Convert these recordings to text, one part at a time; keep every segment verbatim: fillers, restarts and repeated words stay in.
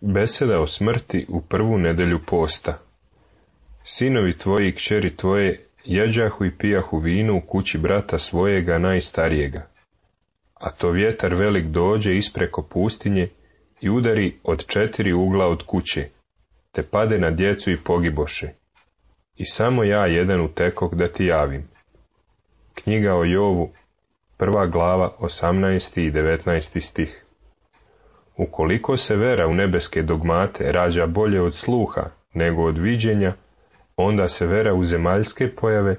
Beseda o smrti u prvu nedelju posta. Sinovi tvoji i kćeri tvoje jeđahu i pijahu vino u kući brata svojega najstarijega. A to vjetar velik dođe ispreko pustinje i udari od četiri ugla od kuće, te pade na djecu i pogiboše. I samo ja jedan utekok da ti javim. Knjiga o Jovu, prva glava, osamnaesti i devetnaesti stih. Ukoliko se vera u nebeske dogmate rađa bolje od sluha nego od viđenja, onda se vera u zemaljske pojave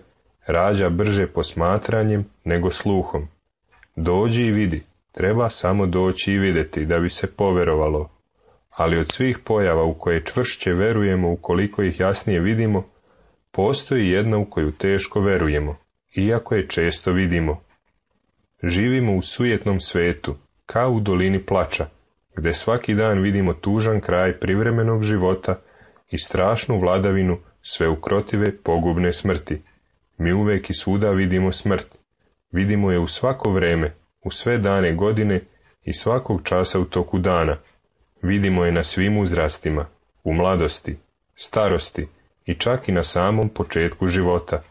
rađa brže posmatranjem nego sluhom. Dođi i vidi, treba samo doći i vidjeti da bi se poverovalo. Ali od svih pojava u koje čvršće verujemo ukoliko ih jasnije vidimo, postoji jedna u koju teško verujemo, iako je često vidimo. Živimo u sujetnom svetu, kao u dolini plača, gdje svaki dan vidimo tužan kraj privremenog života i strašnu vladavinu sveukrotive pogubne smrti. Mi uvijek i svuda vidimo smrt. Vidimo je u svako vreme, u sve dane godine i svakog časa u toku dana. Vidimo je na svim uzrastima, u mladosti, starosti i čak i na samom početku života.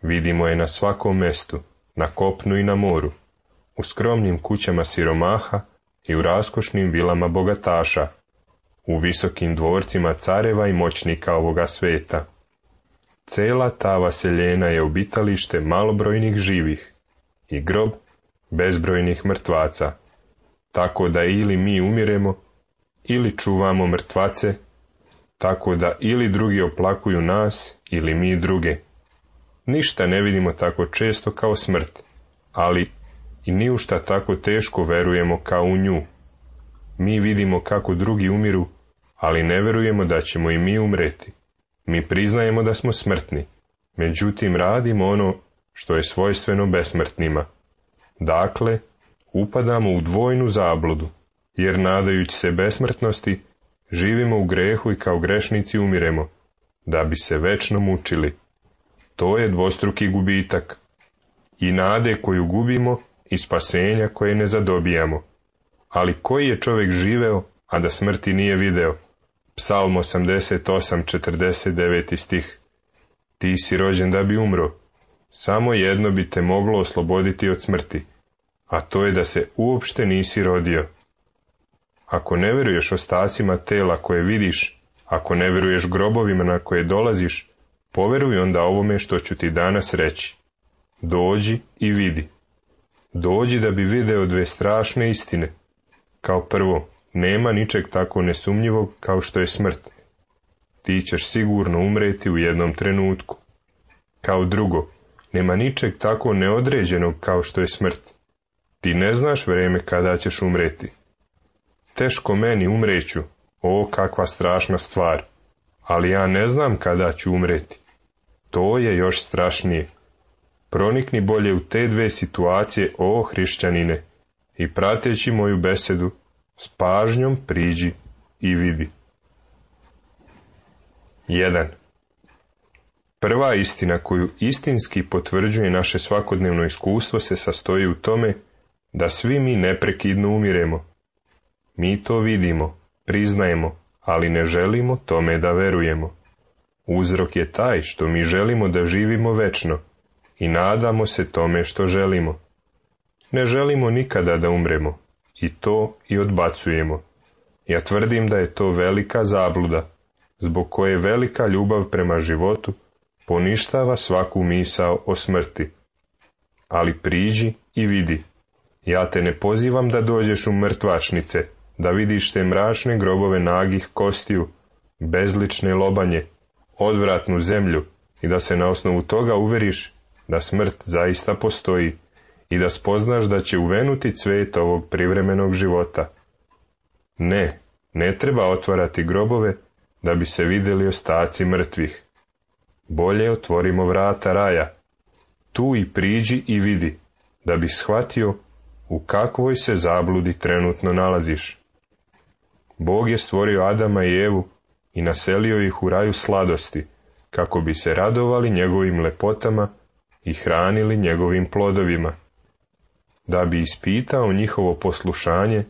Vidimo je na svakom mestu, na kopnu i na moru, u skromnim kućama siromaha i u raskošnim vilama bogataša, u visokim dvorcima careva i moćnika ovoga sveta. Cela ta vaseljena je obitalište malobrojnih živih i grob bezbrojnih mrtvaca, tako da ili mi umiremo, ili čuvamo mrtvace, tako da ili drugi oplakuju nas, ili mi druge. Ništa ne vidimo tako često kao smrt, ali i ni u šta tako teško verujemo kao u nju. Mi vidimo kako drugi umiru, ali ne verujemo da ćemo i mi umreti. Mi priznajemo da smo smrtni, međutim radimo ono što je svojstveno besmrtnima. Dakle, upadamo u dvojnu zabludu, jer nadajući se besmrtnosti, živimo u grehu i kao grešnici umiremo, da bi se večno mučili. To je dvostruki gubitak. I nade koju gubimo i spasenja koje ne zadobijamo. Ali koji je čovjek živeo, a da smrti nije video? Psalm osamdeset osam, četrdeset deveti stih. Ti si rođen da bi umro. Samo jedno bi te moglo osloboditi od smrti, a to je da se uopšte nisi rodio. Ako ne veruješ ostacima tela koje vidiš, ako ne veruješ grobovima na koje dolaziš, poveruj onda ovome što ću ti danas reći. Dođi i vidi. Dođi da bi video dve strašne istine. Kao prvo, nema ničeg tako nesumnjivog kao što je smrt. Ti ćeš sigurno umreti u jednom trenutku. Kao drugo, nema ničeg tako neodređenog kao što je smrt. Ti ne znaš vrijeme kada ćeš umreti. Teško meni umreću, o kakva strašna stvar, ali ja ne znam kada ću umreti. To je još strašnije. Pronikni bolje u te dve situacije, o hrišćanine, i prateći moju besedu, s pažnjom priđi i vidi. jedan. Prva istina koju istinski potvrđuje naše svakodnevno iskustvo se sastoji u tome da svi mi neprekidno umiremo. Mi to vidimo, priznajemo, ali ne želimo tome da verujemo. Uzrok je taj što mi želimo da živimo večno i nadamo se tome što želimo. Ne želimo nikada da umremo, i to i odbacujemo. Ja tvrdim da je to velika zabluda, zbog koje velika ljubav prema životu poništava svaku misao o smrti. Ali priđi i vidi. Ja te ne pozivam da dođeš u mrtvačnice, da vidiš te mračne grobove nagih kostiju, bezlične lobanje, odvratnu zemlju i da se na osnovu toga uveriš da smrt zaista postoji i da spoznaš da će uvenuti cvet ovog privremenog života. Ne, ne treba otvarati grobove da bi se vidjeli ostaci mrtvih. Bolje otvorimo vrata raja. Tu i priđi i vidi, da bi shvatio u kakvoj se zabludi trenutno nalaziš. Bog je stvorio Adama i Evu i naselio ih u raju sladosti, kako bi se radovali njegovim lepotama i hranili njegovim plodovima. Da bi ispitao njihovo poslušanje,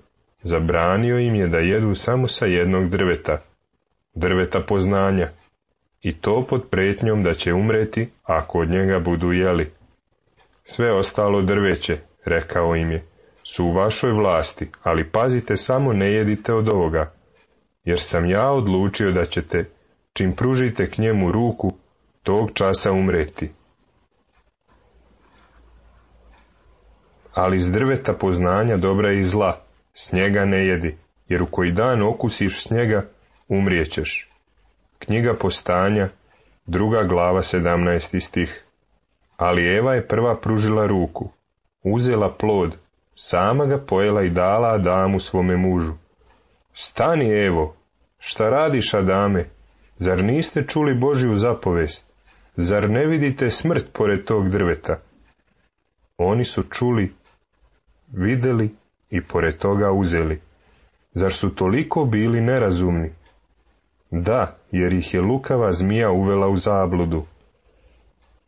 zabranio im je da jedu samo sa jednog drveta, drveta poznanja, i to pod prijetnjom da će umreti ako od njega budu jeli. Sve ostalo drveće, rekao im je, su u vašoj vlasti, ali pazite samo ne jedite od ovoga, jer sam ja odlučio da ćete, čim pružite k njemu ruku, tog časa umreti. Ali iz drveta poznanja dobra i zla, s njega ne jedi, jer u koji dan okusiš s njega, umrijećeš. Knjiga Postanja, druga glava, sedamnaesti stih. Ali Eva je prva pružila ruku, uzela plod, sama ga pojela i dala Adamu svome mužu. Stani, Evo, šta radiš, Adame? Zar niste čuli Božju zapovest? Zar ne vidite smrt pored tog drveta? Oni su čuli, vidjeli i pored toga uzeli. Zar su toliko bili nerazumni? Da, jer ih je lukava zmija uvela u zabludu.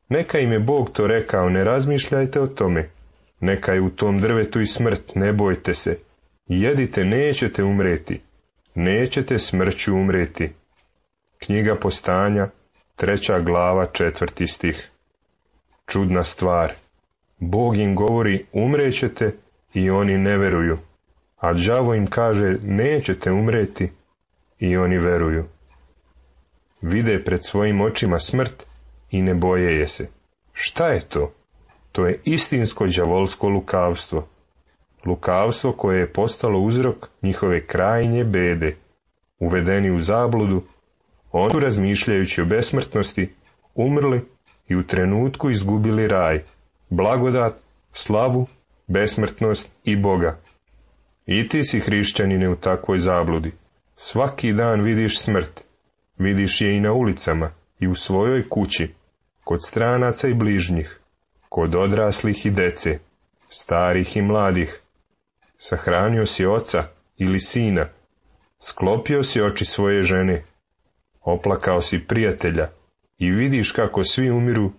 Neka im je Bog to rekao, ne razmišljajte o tome. Neka je u tom drvetu i smrt, ne bojte se. Jedite, nećete umreti. Nećete smrću umreti. Knjiga Postanja, treća glava, četvrti stih. Čudna stvar. Bog im govori, umrećete, i oni ne veruju. A đavo im kaže, nećete umreti, i oni veruju. Vide pred svojim očima smrt i ne boje je se. Šta je to? To je istinsko đavolsko lukavstvo. Lukavstvo koje je postalo uzrok njihove krajnje bede. Uvedeni u zabludu, oni su, razmišljajući o besmrtnosti, umrli i u trenutku izgubili raj, blagodat, slavu, besmrtnost i Boga. I ti si, hrišćanine, u takvoj zabludi. Svaki dan vidiš smrt. Vidiš je i na ulicama, i u svojoj kući, kod stranaca i bližnjih, kod odraslih i dece, starih i mladih. Sahranio si oca ili sina, sklopio si oči svoje žene, oplakao si prijatelja i vidiš kako svi umiru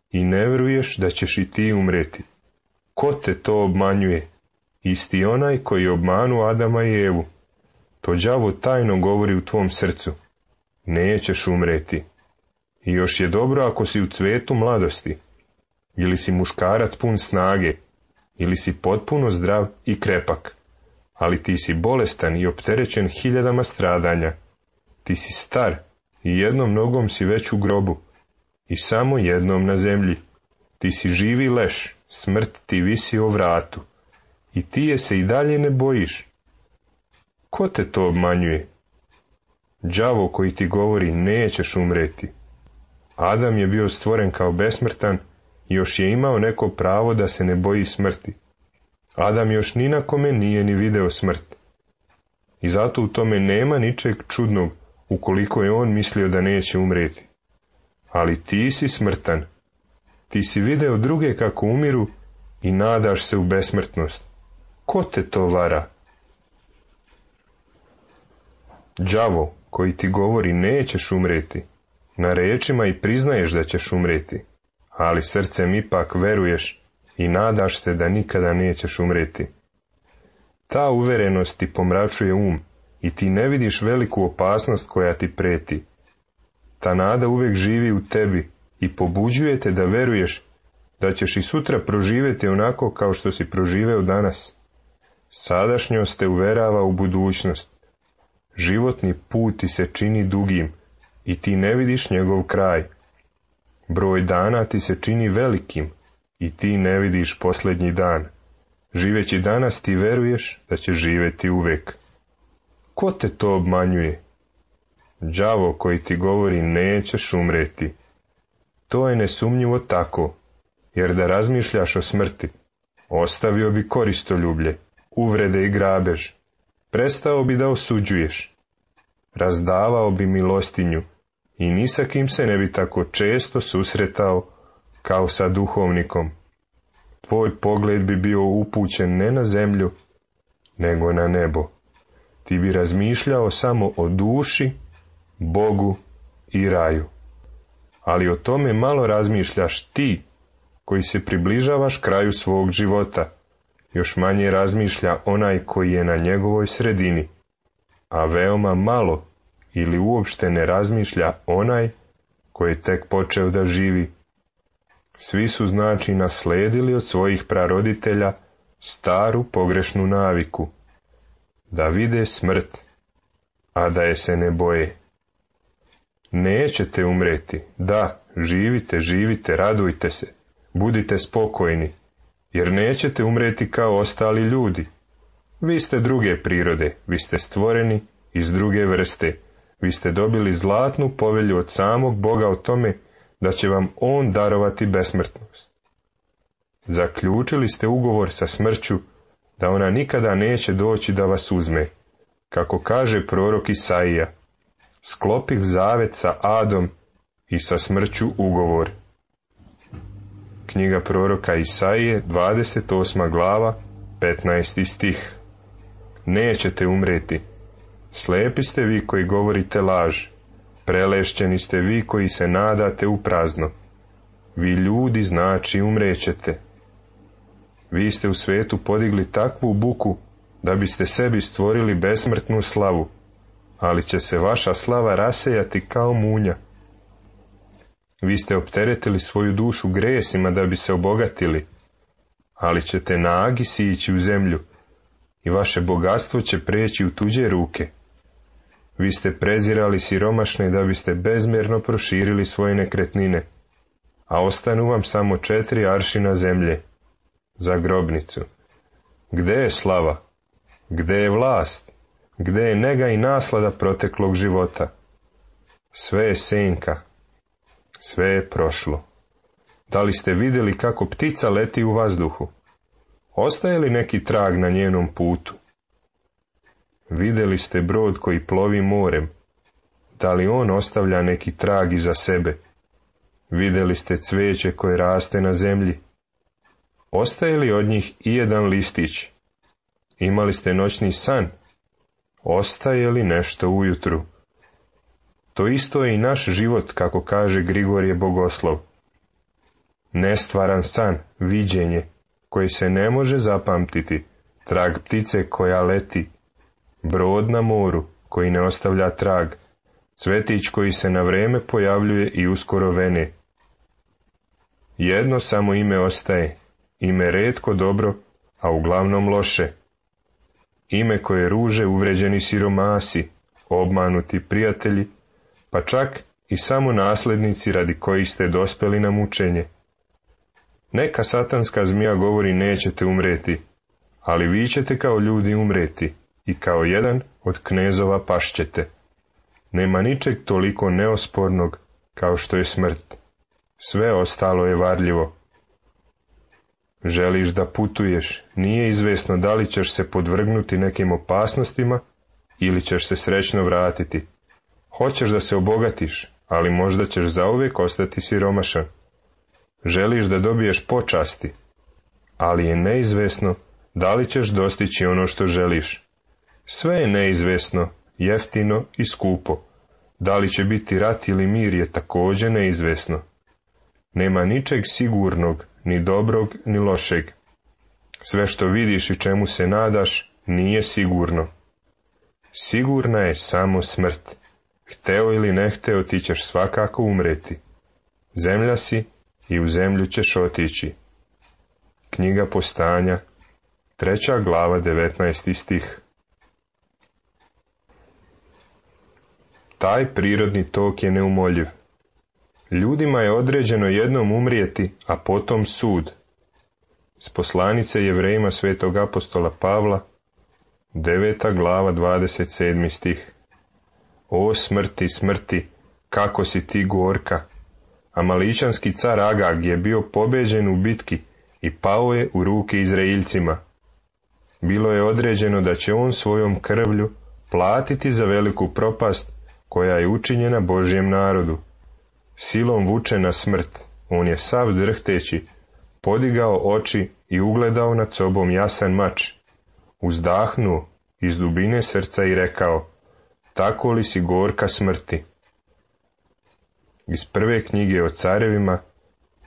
i ne vjeruješ da ćeš i ti umreti. Ko te to obmanjuje? Isti onaj koji je obmanuo Adama i Evu. To đavo tajno govori u tvom srcu. Nećeš umreti. I još je dobro ako si u cvetu mladosti, ili si muškarac pun snage, ili si potpuno zdrav i krepak, ali ti si bolestan i opterećen hiljadama stradanja. Ti si star i jednom nogom si već u grobu i samo jednom na zemlji. Ti si živi leš, smrt ti visi o vratu i ti je se i dalje ne bojiš. Ko te to obmanjuje? Đavo koji ti govori nećeš umreti. Adam je bio stvoren kao besmrtan i još je imao neko pravo da se ne boji smrti. Adam još ni na kome nije ni video smrt. I zato u tome nema ničeg čudnog ukoliko je on mislio da neće umreti. Ali ti si smrtan. Ti si video druge kako umiru i nadaš se u besmrtnost. Ko te to vara? Đavo koji ti govori nećeš umreti, na rečima i priznaješ da ćeš umreti, ali srcem ipak veruješ i nadaš se da nikada nećeš umreti. Ta uverenost ti pomračuje um i ti ne vidiš veliku opasnost koja ti preti. Ta nada uvijek živi u tebi i pobuđuje te da veruješ da ćeš i sutra proživjeti onako kao što si proživeo danas. Sadašnjost te uverava u budućnost. Životni put ti se čini dugim i ti ne vidiš njegov kraj. Broj dana ti se čini velikim i ti ne vidiš posljednji dan. Živeći danas ti veruješ da ćeš živjeti uvijek. Ko te to obmanjuje? Đavo koji ti govori nećeš umreti. To je nesumnjivo tako, jer da razmišljaš o smrti, ostavio bi koristoljublje, uvrede i grabež, prestao bi da osuđuješ, razdavao bi milostinju i ni sa kim se ne bi tako često susretao kao sa duhovnikom. Tvoj pogled bi bio upućen ne na zemlju, nego na nebo. Ti bi razmišljao samo o duši, Bogu i raju. Ali o tome malo razmišljaš ti, koji se približavaš kraju svog života još manje razmišlja onaj koji je na njegovoj sredini, a veoma malo ili uopšte ne razmišlja onaj koji je tek počeo da živi. Svi su znači nasledili od svojih praroditelja staru pogrešnu naviku, da vide smrt, a da je se ne boje. Nećete umreti, da, živite, živite, radujte se, budite spokojni, jer nećete umreti kao ostali ljudi. Vi ste druge prirode, vi ste stvoreni iz druge vrste, vi ste dobili zlatnu povelju od samog Boga o tome da će vam On darovati besmrtnost. Zaključili ste ugovor sa smrću da ona nikada neće doći da vas uzme, kako kaže prorok Isaija, sklopih zavet sa Adom i sa smrću ugovor. Knjiga proroka Isaije, dvadeset osma glava, petnaesti stih. Nećete umreti. Slepi ste vi koji govorite laž. Prelešćeni ste vi koji se nadate u prazno. Vi ljudi znači umrećete. Vi ste u svetu podigli takvu buku da biste sebi stvorili besmrtnu slavu, ali će se vaša slava rasejati kao munja. Vi ste opteretili svoju dušu gresima da bi se obogatili, ali ćete nagi sići u zemlju i vaše bogatstvo će preći u tuđe ruke. Vi ste prezirali siromašne da biste bezmjerno proširili svoje nekretnine, a ostanu vam samo četiri aršina zemlje za grobnicu. Gde je slava? Gde je vlast? Gde je nega i naslada proteklog života? Sve je senka. Sve je prošlo. Da li ste vidjeli kako ptica leti u vazduhu? Ostaje li neki trag na njenom putu? Vidjeli ste brod koji plovi morem. Da li on ostavlja neki trag iza sebe? Vidjeli ste cveće koje raste na zemlji? Ostaje li od njih i jedan listić? Imali ste noćni san? Ostaje li nešto ujutru? To isto je i naš život, kako kaže Grigorije Bogoslov. Nestvaran san, viđenje, koji se ne može zapamtiti, trag ptice koja leti, brod na moru koji ne ostavlja trag, cvetić koji se na vreme pojavljuje i uskoro vene. Jedno samo ime ostaje, ime retko dobro, a uglavnom loše. Ime koje ruže uvređeni siromasi, obmanuti prijatelji, pa čak i samo naslednici radi kojih ste dospeli na mučenje. Neka satanska zmija govori nećete umreti, ali vi ćete kao ljudi umreti i kao jedan od knezova pašćete. Nema ničeg toliko neospornog kao što je smrt. Sve ostalo je varljivo. Želiš da putuješ, nije izvesno da li ćeš se podvrgnuti nekim opasnostima ili ćeš se srećno vratiti. Hoćeš da se obogatiš, ali možda ćeš zauvijek ostati siromašan. Želiš da dobiješ počasti, ali je neizvesno da li ćeš dostići ono što želiš. Sve je neizvesno, jeftino i skupo. Da li će biti rat ili mir je također neizvesno. Nema ničeg sigurnog, ni dobrog, ni lošeg. Sve što vidiš i čemu se nadaš, nije sigurno. Sigurna je samo smrt. Hteo ili ne hteo, ti ćeš svakako umreti. Zemlja si i u zemlju ćeš otići. Knjiga Postanja, treća glava, devetnaesti stih. Taj prirodni tok je neumoljiv. Ljudima je određeno jednom umrijeti, a potom sud. S poslanice Jevrejima svetog apostola Pavla, deveta glava, dvadeset sedmi stih. O smrti, smrti, kako si ti gorka! Amaličanski car Agag je bio pobeđen u bitki i pao je u ruke Izraeljcima. Bilo je određeno da će on svojom krvlju platiti za veliku propast koja je učinjena Božjem narodu. Silom vuče na smrt, on je sav drhteći, podigao oči i ugledao nad sobom jasan mač. Uzdahnuo iz dubine srca i rekao, tako li si gorka smrti? Iz prve knjige o carevima,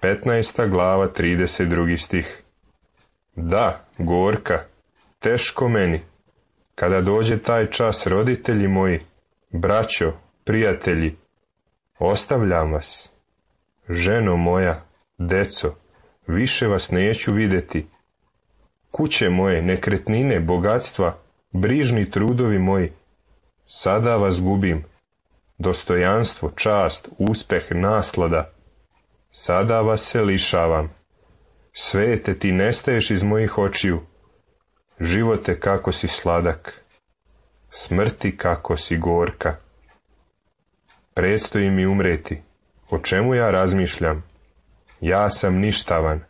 petnaesta glava, trideset drugi stih. Da, gorka, teško meni. Kada dođe taj čas, roditelji moji, braćo, prijatelji, ostavljam vas. Ženo moja, deco, više vas neću vidjeti. Kuće moje, nekretnine, bogatstva, brižni trudovi moji, sada vas gubim. Dostojanstvo, čast, uspeh, naslada, sada vas se lišavam. Svete, ti nestaješ iz mojih očiju. Živote, kako si sladak. Smrti, kako si gorka. Predstoji mi umreti. O čemu ja razmišljam? Ja sam ništavan.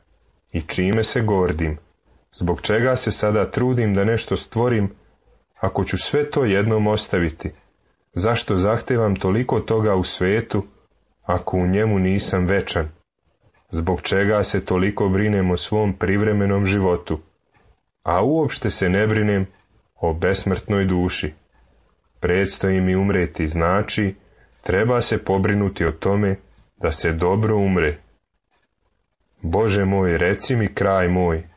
I čime se gordim? Zbog čega se sada trudim da nešto stvorim, ako ću sve to jednom ostaviti? Zašto zahtevam toliko toga u svetu, ako u njemu nisam večan? Zbog čega se toliko brinem o svom privremenom životu, a uopšte se ne brinem o besmrtnoj duši? Predstoji mi umreti, znači treba se pobrinuti o tome da se dobro umre. Bože moj, reci mi kraj moj.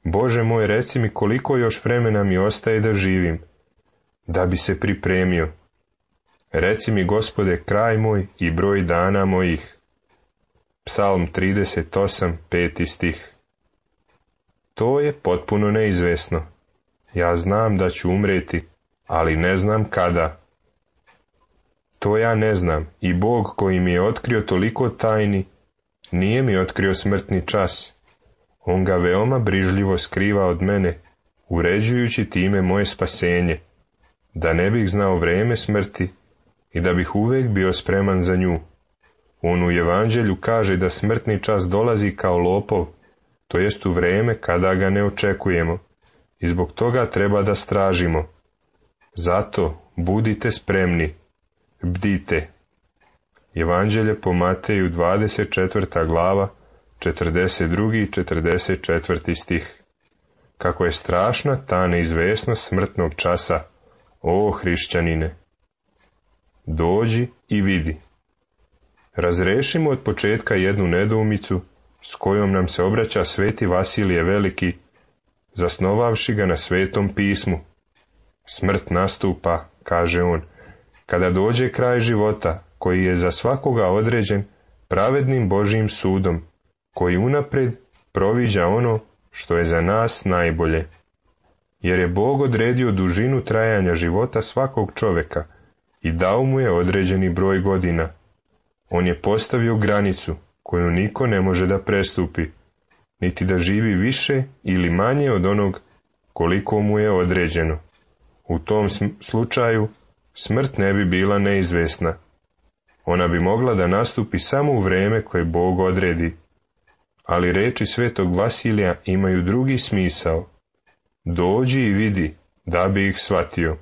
Bože moj, reci mi koliko još vremena mi ostaje da živim, da bi se pripremio. Reci mi, Gospode, kraj moj i broj dana mojih. Psalm trideset osam, peti stih. To je potpuno neizvesno. Ja znam da ću umreti, ali ne znam kada. To ja ne znam, i Bog koji mi je otkrio toliko tajni, nije mi otkrio smrtni čas. On ga veoma brižljivo skriva od mene, uređujući time moje spasenje, da ne bih znao vreme smrti i da bih uvijek bio spreman za nju. On u Evanđelju kaže da smrtni čas dolazi kao lopov, to jest u vreme kada ga ne očekujemo, i zbog toga treba da stražimo. Zato budite spremni, bdite. Evanđelje po Mateju, dvadeset četvrta glava, četrdeset drugi i četrdeset četvrti stih. Kako je strašna ta neizvesnost smrtnog časa, o hrišćanine! Dođi i vidi. Razrešimo od početka jednu nedoumicu s kojom nam se obraća sveti Vasilije Veliki, zasnovavši ga na Svetom pismu. Smrt nastupa, kaže on, kada dođe kraj života, koji je za svakoga određen pravednim Božjim sudom, koji unapred proviđa ono što je za nas najbolje. Jer je Bog odredio dužinu trajanja života svakog čoveka i dao mu je određeni broj godina. On je postavio granicu koju niko ne može da prestupi, niti da živi više ili manje od onog koliko mu je određeno. U tom slučaju smrt ne bi bila neizvesna. Ona bi mogla da nastupi samo u vreme koje Bog odredi. Ali reči svetog Vasilija imaju drugi smisao. Dođi i vidi, da bi ih shvatio.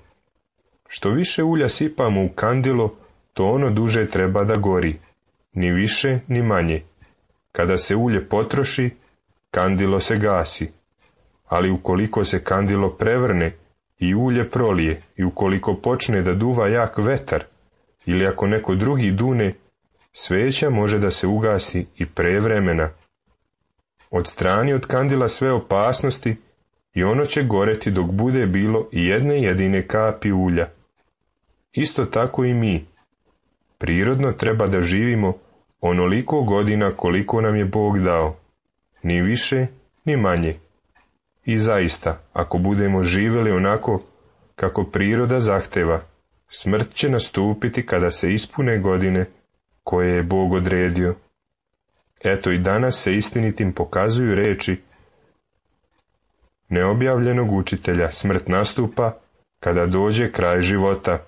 Što više ulja sipamo u kandilo, to ono duže treba da gori, ni više ni manje. Kada se ulje potroši, kandilo se gasi, ali ukoliko se kandilo prevrne i ulje prolije i ukoliko počne da duva jak vetar, ili ako neko drugi dune, sveća može da se ugasi i pre vremena. Odstrani od kandila sve opasnosti i ono će goreti dok bude bilo i jedne jedine kapi ulja. Isto tako i mi. Prirodno treba da živimo onoliko godina koliko nam je Bog dao, ni više ni manje. I zaista, ako budemo živjeli onako kako priroda zahteva, smrt će nastupiti kada se ispune godine koje je Bog odredio. Eto i danas se istinitim pokazuju reči neobjavljenog učitelja: smrt nastupa kada dođe kraj života.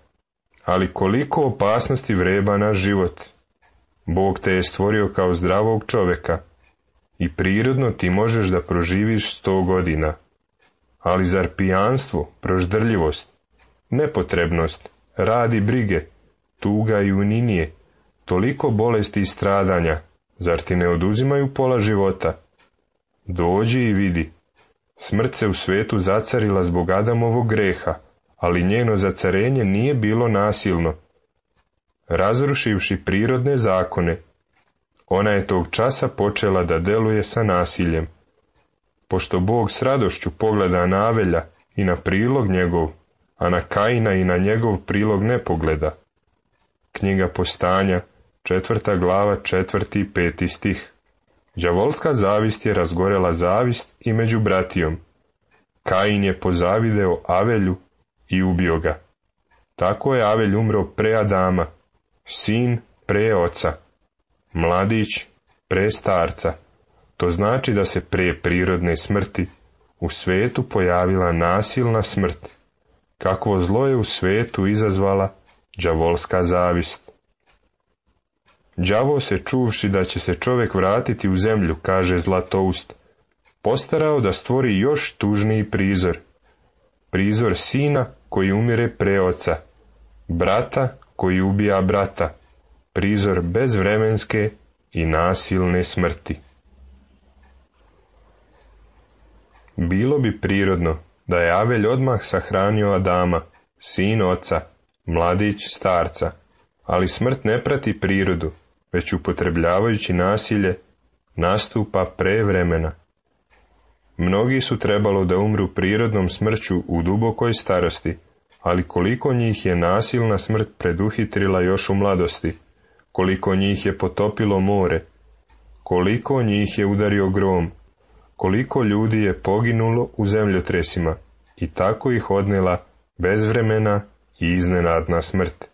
Ali koliko opasnosti vreba naš život. Bog te je stvorio kao zdravog čoveka i prirodno ti možeš da proživiš sto godina. Ali zar pijanstvo, proždrljivost, nepotrebnost, rad i brige, tuga i uninije, toliko bolesti i stradanja, zar ti ne oduzimaju pola života? Dođi i vidi. Smrt se u svetu zacarila zbog Adamovog greha, ali njeno zacarenje nije bilo nasilno. Razrušivši prirodne zakone, ona je tog časa počela da deluje sa nasiljem. pošto Bog s radošću pogleda na Avelja i na prilog njegov, a na Kaina i na njegov prilog ne pogleda. Knjiga Postanja, četvrta glava, četvrti i peti stih. Đavolska zavist je razgorela zavist i među bratijom. Kain je pozavideo Avelju i ubio ga. Tako je Avelj umro pre Adama, sin pre oca, mladić pre starca. To znači da se pre prirodne smrti u svetu pojavila nasilna smrt. Kakvo zlo je u svetu izazvala đavolska zavist. Đavo se, čuvši da će se čovjek vratiti u zemlju, kaže Zlatoust, postarao da stvori još tužniji prizor. Prizor sina koji umire pre oca, brata koji ubija brata, prizor bezvremenske i nasilne smrti. Bilo bi prirodno da je Avelj odmah sahranio Adama, sin oca, mladić starca, ali smrt ne prati prirodu, već upotrebljavajući nasilje nastupa pre vremena. Mnogi su trebalo da umru prirodnom smrću u dubokoj starosti, ali koliko njih je nasilna smrt preduhitrila još u mladosti, koliko njih je potopilo more, koliko njih je udario grom, koliko ljudi je poginulo u zemljotresima i tako ih odnela bezvremena i iznenadna smrt.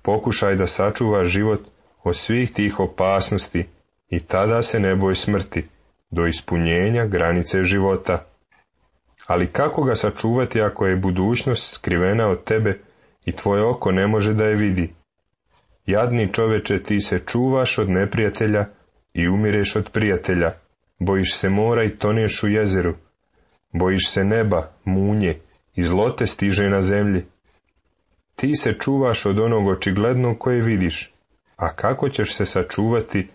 Pokušaj da sačuvaš život od svih tih opasnosti i tada se ne boj smrti, do ispunjenja granice života. Ali kako ga sačuvati ako je budućnost skrivena od tebe i tvoje oko ne može da je vidi? Jadni čoveče, ti se čuvaš od neprijatelja i umireš od prijatelja, bojiš se mora i toneš u jezeru, bojiš se neba, munje i zlo te stiže na zemlji. Ti se čuvaš od onog očiglednog koje vidiš, a kako ćeš se sačuvati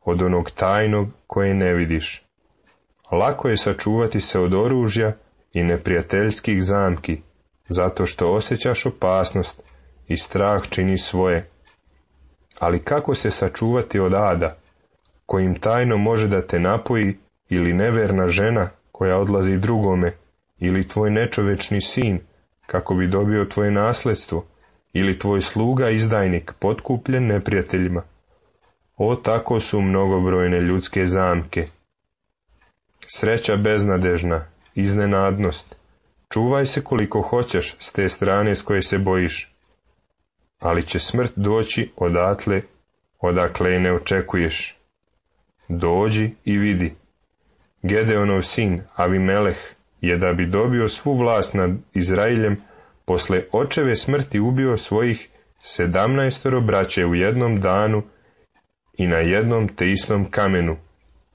od onog tajnog koje ne vidiš? Lako je sačuvati se od oružja i neprijateljskih zamki, zato što osjećaš opasnost i strah čini svoje. Ali kako se sačuvati od ada, kojim tajno može da te napoji, ili neverna žena koja odlazi drugome, ili tvoj nečovečni sin, kako bi dobio tvoje nasledstvo, ili tvoj sluga izdajnik potkupljen neprijateljima? O, tako su mnogobrojne ljudske zamke. Sreća beznadežna, iznenadnost. Čuvaj se koliko hoćeš s te strane s koje se bojiš. Ali će smrt doći odatle, odakle je ne očekuješ. Dođi i vidi. Gedeonov sin, Avimeleh, je da bi dobio svu vlast nad Izraeljem, posle očeve smrti ubio svojih sedamnaestoro braće u jednom danu i na jednom te istom kamenu,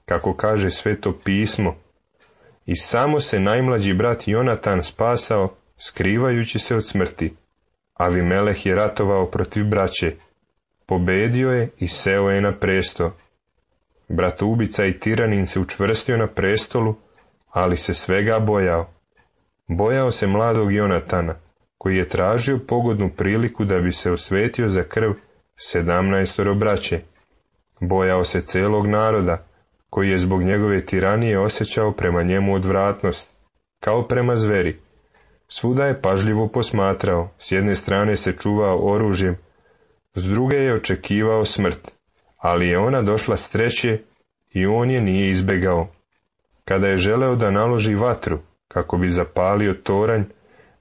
kako kaže Sveto pismo, i samo se najmlađi brat Jonatan spasao, skrivajući se od smrti. Avimeleh je ratovao protiv braće, pobedio je i seo je na presto. Bratoubica i tiranin se učvrstio na prestolu, ali se svega bojao. Bojao se mladog Jonatana, koji je tražio pogodnu priliku da bi se osvetio za krv sedamnaestoro braće. Bojao se celog naroda, koji je zbog njegove tiranije osjećao prema njemu odvratnost, kao prema zveri. Svuda je pažljivo posmatrao, s jedne strane se čuvao oružjem, s druge je očekivao smrt, ali je ona došla s treće i on je nije izbegao. Kada je želeo da naloži vatru, kako bi zapalio toranj,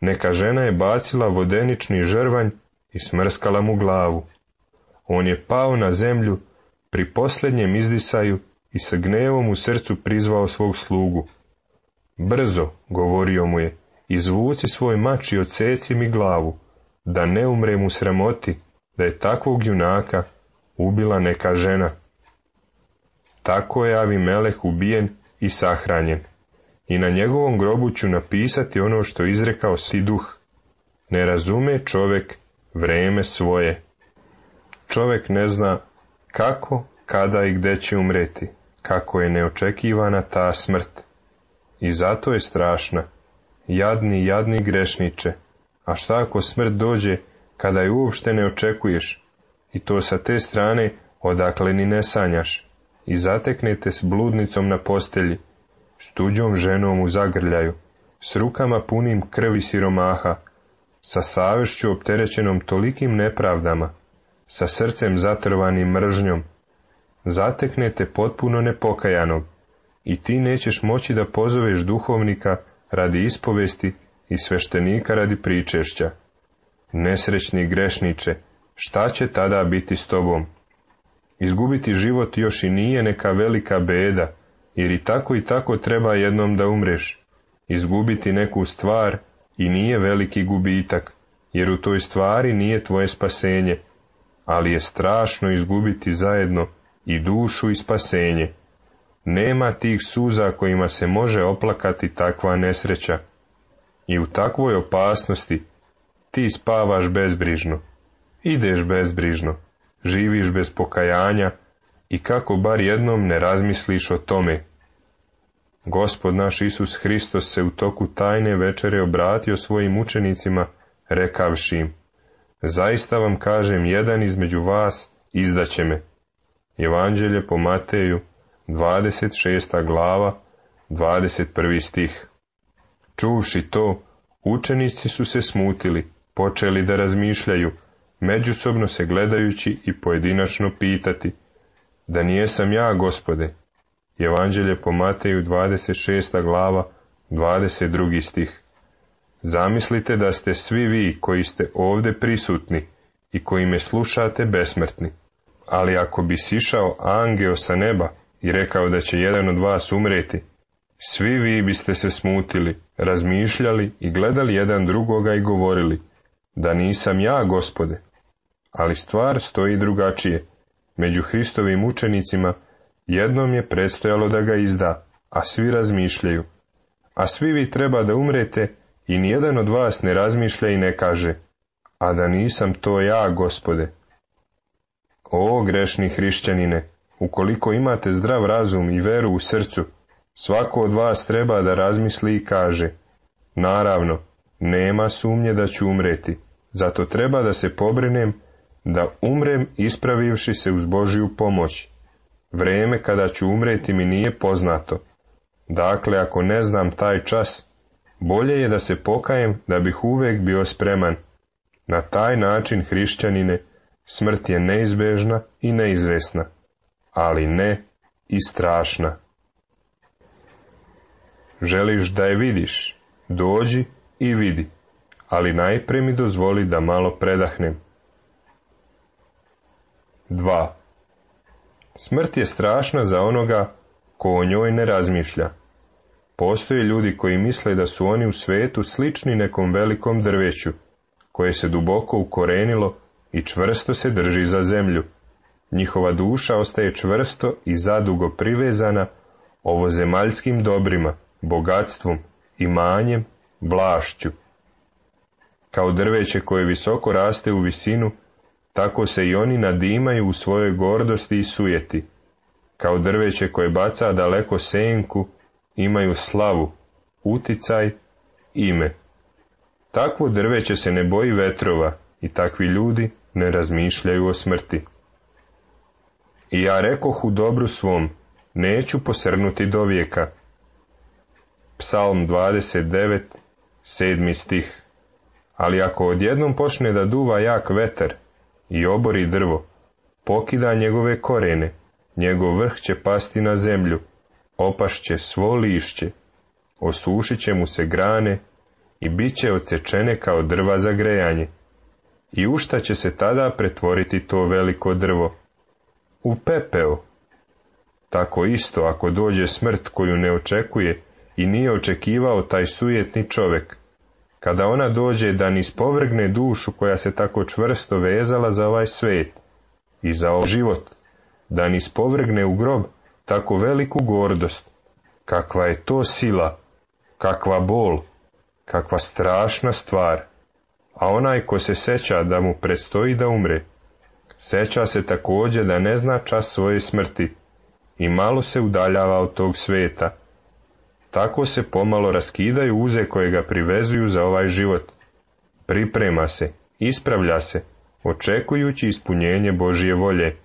neka žena je bacila vodenični žrvanj i smrskala mu glavu. On je pao na zemlju pri posljednjem izdisaju i sa gnevom u srcu prizvao svog slugu. Brzo, govorio mu je, izvuci svoj mač i odseci mi glavu, da ne umrem u sramoti, da je takvog junaka ubila neka žena. Tako je Avimeleh ubijen i sahranjen. I na njegovom grobu ću napisati ono što izrekao Siduh. Ne razume čovjek vreme svoje. Čovjek ne zna kako, kada i gde će umreti, kako je neočekivana ta smrt. I zato je strašna. Jadni, jadni grešniče. A šta ako smrt dođe kada je uopšte ne očekuješ, i to sa te strane odakle ni ne sanjaš, i zateknete s bludnicom na postelji, s tuđom ženom u zagrljaju, s rukama punim krvi siromaha, sa savješću opterećenom tolikim nepravdama, sa srcem zatrvanim mržnjom, zateknete potpuno nepokajanog i ti nećeš moći da pozoveš duhovnika radi ispovesti i sveštenika radi pričešća. Nesrećni grešniče, šta će tada biti s tobom? Izgubiti život još i nije neka velika beda, jer i tako i tako treba jednom da umreš. Izgubiti neku stvar i nije veliki gubitak, jer u toj stvari nije tvoje spasenje, ali je strašno izgubiti zajedno i dušu i spasenje. Nema tih suza kojima se može oplakati takva nesreća. I u takvoj opasnosti ti spavaš bezbrižno, ideš bezbrižno, živiš bez pokajanja i kako bar jednom ne razmisliš o tome. Gospod naš Isus Hristos se u toku tajne večere obratio svojim učenicima, rekavši im: zaista vam kažem, jedan između vas izdaće me. Evanđelje po Mateju, dvadeset šesta glava, dvadeset prvi stih. Čuvši to, učenici su se smutili, počeli da razmišljaju, međusobno se gledajući i pojedinačno pitati: da nijesam ja, Gospode? Evanđelje po Mateju, dvadeset šesta glava, dvadeset drugi stih. Zamislite da ste svi vi koji ste ovdje prisutni i koji me slušate besmrtni. Ali ako bi sišao angeo sa neba i rekao da će jedan od vas umreti, svi vi biste se smutili, razmišljali i gledali jedan drugoga i govorili: da nisam ja, Gospode. Ali stvar stoji drugačije. Među Hristovim učenicima jednom je predstojalo da ga izda, a svi razmišljaju. A svi vi treba da umrete i nijedan od vas ne razmišlja i ne kaže: a da nisam to ja, Gospode. O grešni hrišćanine, ukoliko imate zdrav razum i veru u srcu, svako od vas treba da razmisli i kaže: naravno, nema sumnje da ću umreti, zato treba da se pobrinem da umrem ispravivši se uz Božju pomoć. Vreme kada ću umreti mi nije poznato. Dakle, ako ne znam taj čas, bolje je da se pokajem da bih uvek bio spreman. Na taj način, hrišćanine, smrt je neizbežna i neizvesna, ali ne i strašna. Želiš da je vidiš? Dođi i vidi, ali najpre mi dozvoli da malo predahnem. dva. Smrt je strašna za onoga ko o njoj ne razmišlja. Postoje ljudi koji misle da su oni u svetu slični nekom velikom drveću, koje se duboko ukorenilo i čvrsto se drži za zemlju. Njihova duša ostaje čvrsto i zadugo privezana ovozemaljskim dobrima, bogatstvom, imanjem, vlašću. Kao drveće koje visoko raste u visinu, tako se i oni nadimaju u svojoj gordosti i sujeti. Kao drveće koje baca daleko senku, imaju slavu, uticaj, ime. Takvo drveće se ne boji vetrova i takvi ljudi ne razmišljaju o smrti. I ja rekoh u dobru svom, neću posrnuti do vijeka. Psalm dvadeset devet, sedmi stih. Ali ako odjednom počne da duva jak vetar i obori drvo, pokida njegove korene, njegov vrh će pasti na zemlju, opašće svo lišće, osušit će mu se grane i bit će odsečene kao drva za grejanje. I u šta će se tada pretvoriti to veliko drvo? U pepeo. Tako isto, ako dođe smrt koju ne očekuje i nije očekivao taj sujetni čovjek, kada ona dođe da nispovrgne dušu koja se tako čvrsto vezala za ovaj svet i za ovaj život, da nispovrgne u grob tako veliku gordost, kakva je to sila, kakva bol, kakva strašna stvar. A onaj ko se seća da mu predstoji da umre, seća se također da ne zna čas svoje smrti i malo se udaljava od tog sveta. Tako se pomalo raskidaju uze koje ga privezuju za ovaj život. Priprema se, ispravlja se, očekujući ispunjenje Božje volje.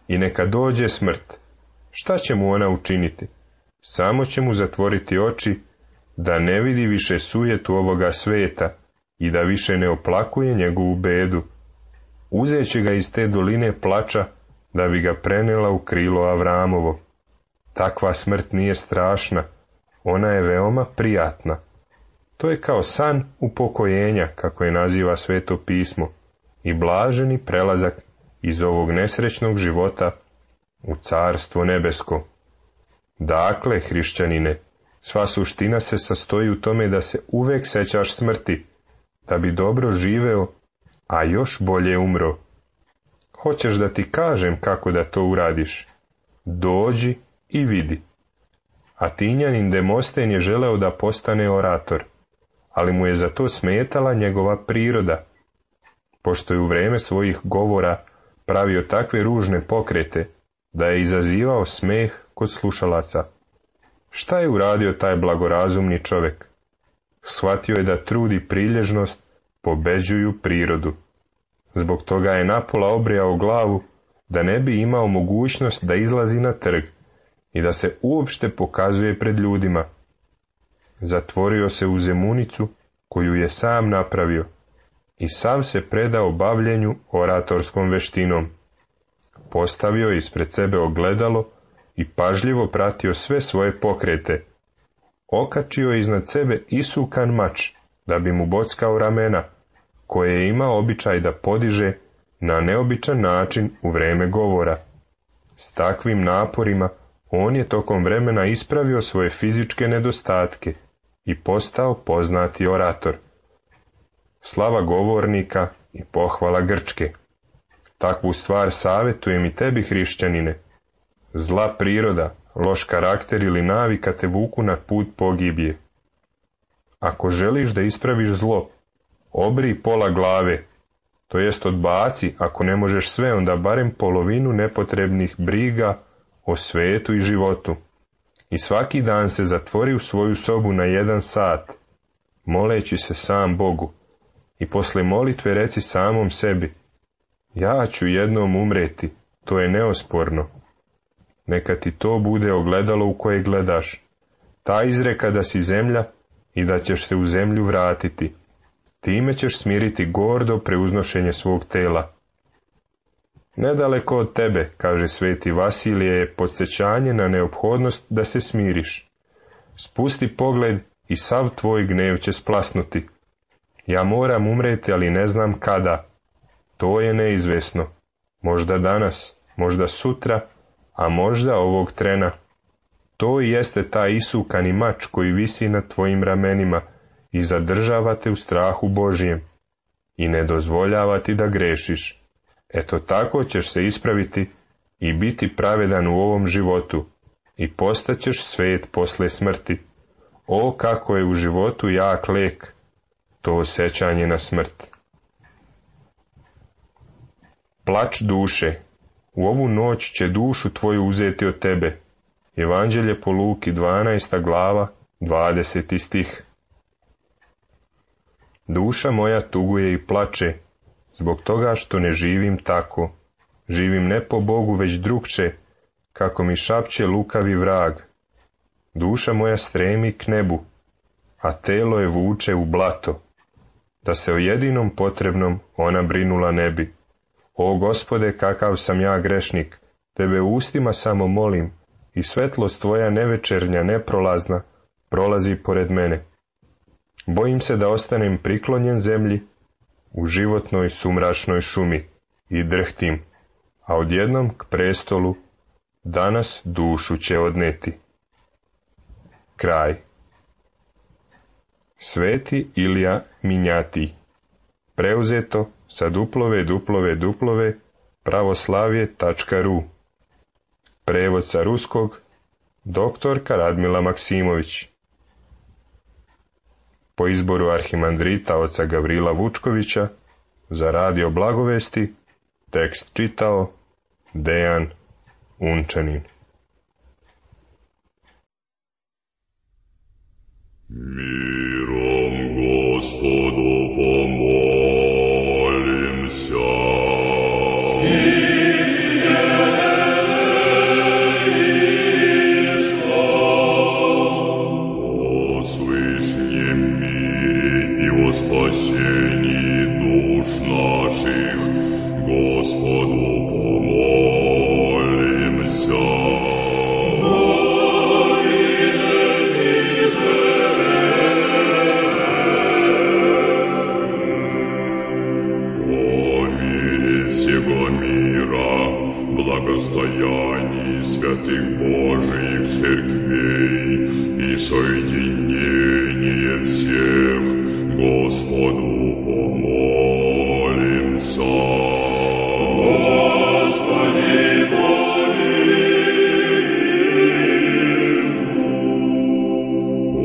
I neka dođe smrt. Šta će mu ona učiniti? samo će mu zatvoriti oči da ne vidi više sujetu ovoga sveta i da više ne oplakuje njegovu bedu. Uzet će ga iz te doline plača da bi ga prenela u krilo Avramovo. Takva smrt nije strašna, ona je veoma prijatna. To je kao san upokojenja, kako je naziva Sveto pismo, i blaženi prelazak iz ovog nesrećnog života u carstvo nebesko. Dakle, hrišćanine, sva suština se sastoji u tome da se uvek sećaš smrti, da bi dobro živeo, a još bolje umro. Hoćeš da ti kažem kako da to uradiš? Dođi i vidi. Atinjanin Demosten je želeo da postane orator, ali mu je za to smetala njegova priroda. Pošto je u vreme svojih govora pravio takve ružne pokrete, da je izazivao smeh kod slušalaca. Šta je uradio taj blagorazumni čovjek? Shvatio je da trud i prilježnost pobeđuju prirodu. Zbog toga je napola obrijao glavu, da ne bi imao mogućnost da izlazi na trg i da se uopšte pokazuje pred ljudima. Zatvorio se u zemunicu koju je sam napravio i sav se predao bavljenju oratorskom veštinom. Postavio je ispred sebe ogledalo i pažljivo pratio sve svoje pokrete. Okačio je iznad sebe isukan mač, da bi mu bockao ramena, koje je imao običaj da podiže na neobičan način u vreme govora. S takvim naporima on je tokom vremena ispravio svoje fizičke nedostatke i postao poznati orator. Slava govornika i pohvala Grčke. Takvu stvar savjetujem i tebi, hrišćanine. Zla priroda, loš karakter ili navika te vuku na put pogibije. Ako želiš da ispraviš zlo, obri pola glave, to jest odbaci, ako ne možeš sve, onda barem polovinu nepotrebnih briga o svetu i životu. I svaki dan se zatvori u svoju sobu na jedan sat, moleći se sam Bogu. I posle molitve reci samom sebi, ja ću jednom umreti, to je neosporno. Neka ti to bude ogledalo u koje gledaš. Ta izreka da si zemlja i da ćeš se u zemlju vratiti. Time ćeš smiriti gordo preuznošenje svog tela. Nedaleko od tebe, kaže sveti Vasilije, je podsjećanje na neophodnost da se smiriš. Spusti pogled i sav tvoj gnev će splasnuti. Ja moram umreti, ali ne znam kada. To je neizvesno. Možda danas, možda sutra, a možda ovog trena. To i jeste taj isukani mač koji visi na tvojim ramenima i zadržava te u strahu Božijem i ne dozvoljava ti da grešiš. Eto tako ćeš se ispraviti i biti pravedan u ovom životu i postaćeš svet posle smrti. O, kako je u životu jak lek to osjećanje na smrt. Plač duše. U ovu noć će dušu tvoju uzeti od tebe. Evanđelje po Luki, dvanaesta glava, dvadeseti stih. Duša moja tuguje i plače, zbog toga što ne živim tako. Živim ne po Bogu, već drugče, kako mi šapće lukavi vrag. Duša moja stremi k nebu, a telo je vuče u blato. Da se o jedinom potrebnom ona brinula ne bi. O Gospode, kakav sam ja grešnik, tebe u ustima samo molim, i svetlost tvoja nevečernja, neprolazna, prolazi pored mene. Bojim se da ostanem priklonjen zemlji u životnoj sumračnoj šumi i drhtim, a odjednom k prestolu danas dušu će odneti. Kraj. Sveti Ilija Minjati. Preuzeto sa duplove duplove duplove pravoslavje tačka ru. Prevod sa ruskog doktorka Radmila Maksimović. Po izboru arhimandrita oca Gavrila Vučkovića za Radio Blagovesti tekst čitao Dejan Unčanin. Mirom Gospodu pomolim se. Kyrie eleison. Господу помолимся. Всего мира, благостоянии святых Божиих церквей и соединение всех, Господу помолимся. Господи, помилуй. О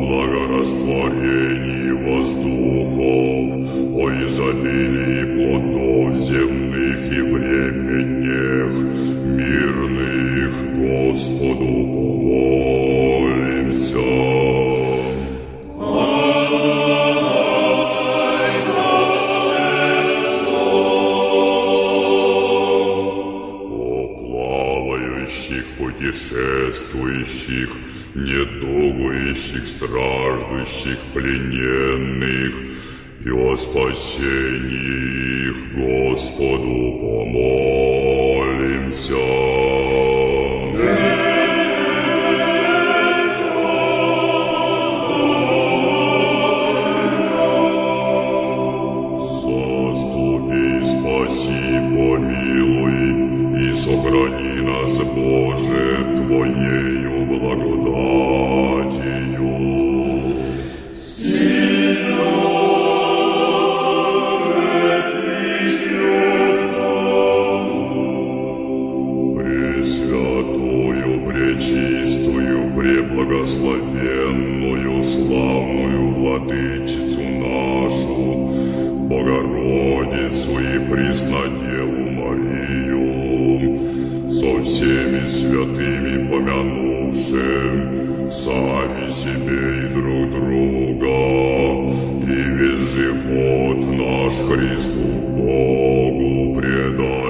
благорастворении воздухов, о изобилии плодов земных и временных, мирных, Господу помолимся. О плавающих, путешествующих, недугующих, страждущих, плененных, и о спасении их, Господу помолимся. Заступи, спаси, помилуй и сохрани нас, Боже, Твоею благодатью. Пресвятую, пречистую, преблагословенную, славную Владычицу нашу, Богородицу и Преснодеву Марию, со всеми святыми помянувшим сами себе и друг друга, и весь живот наш Христу Богу предай.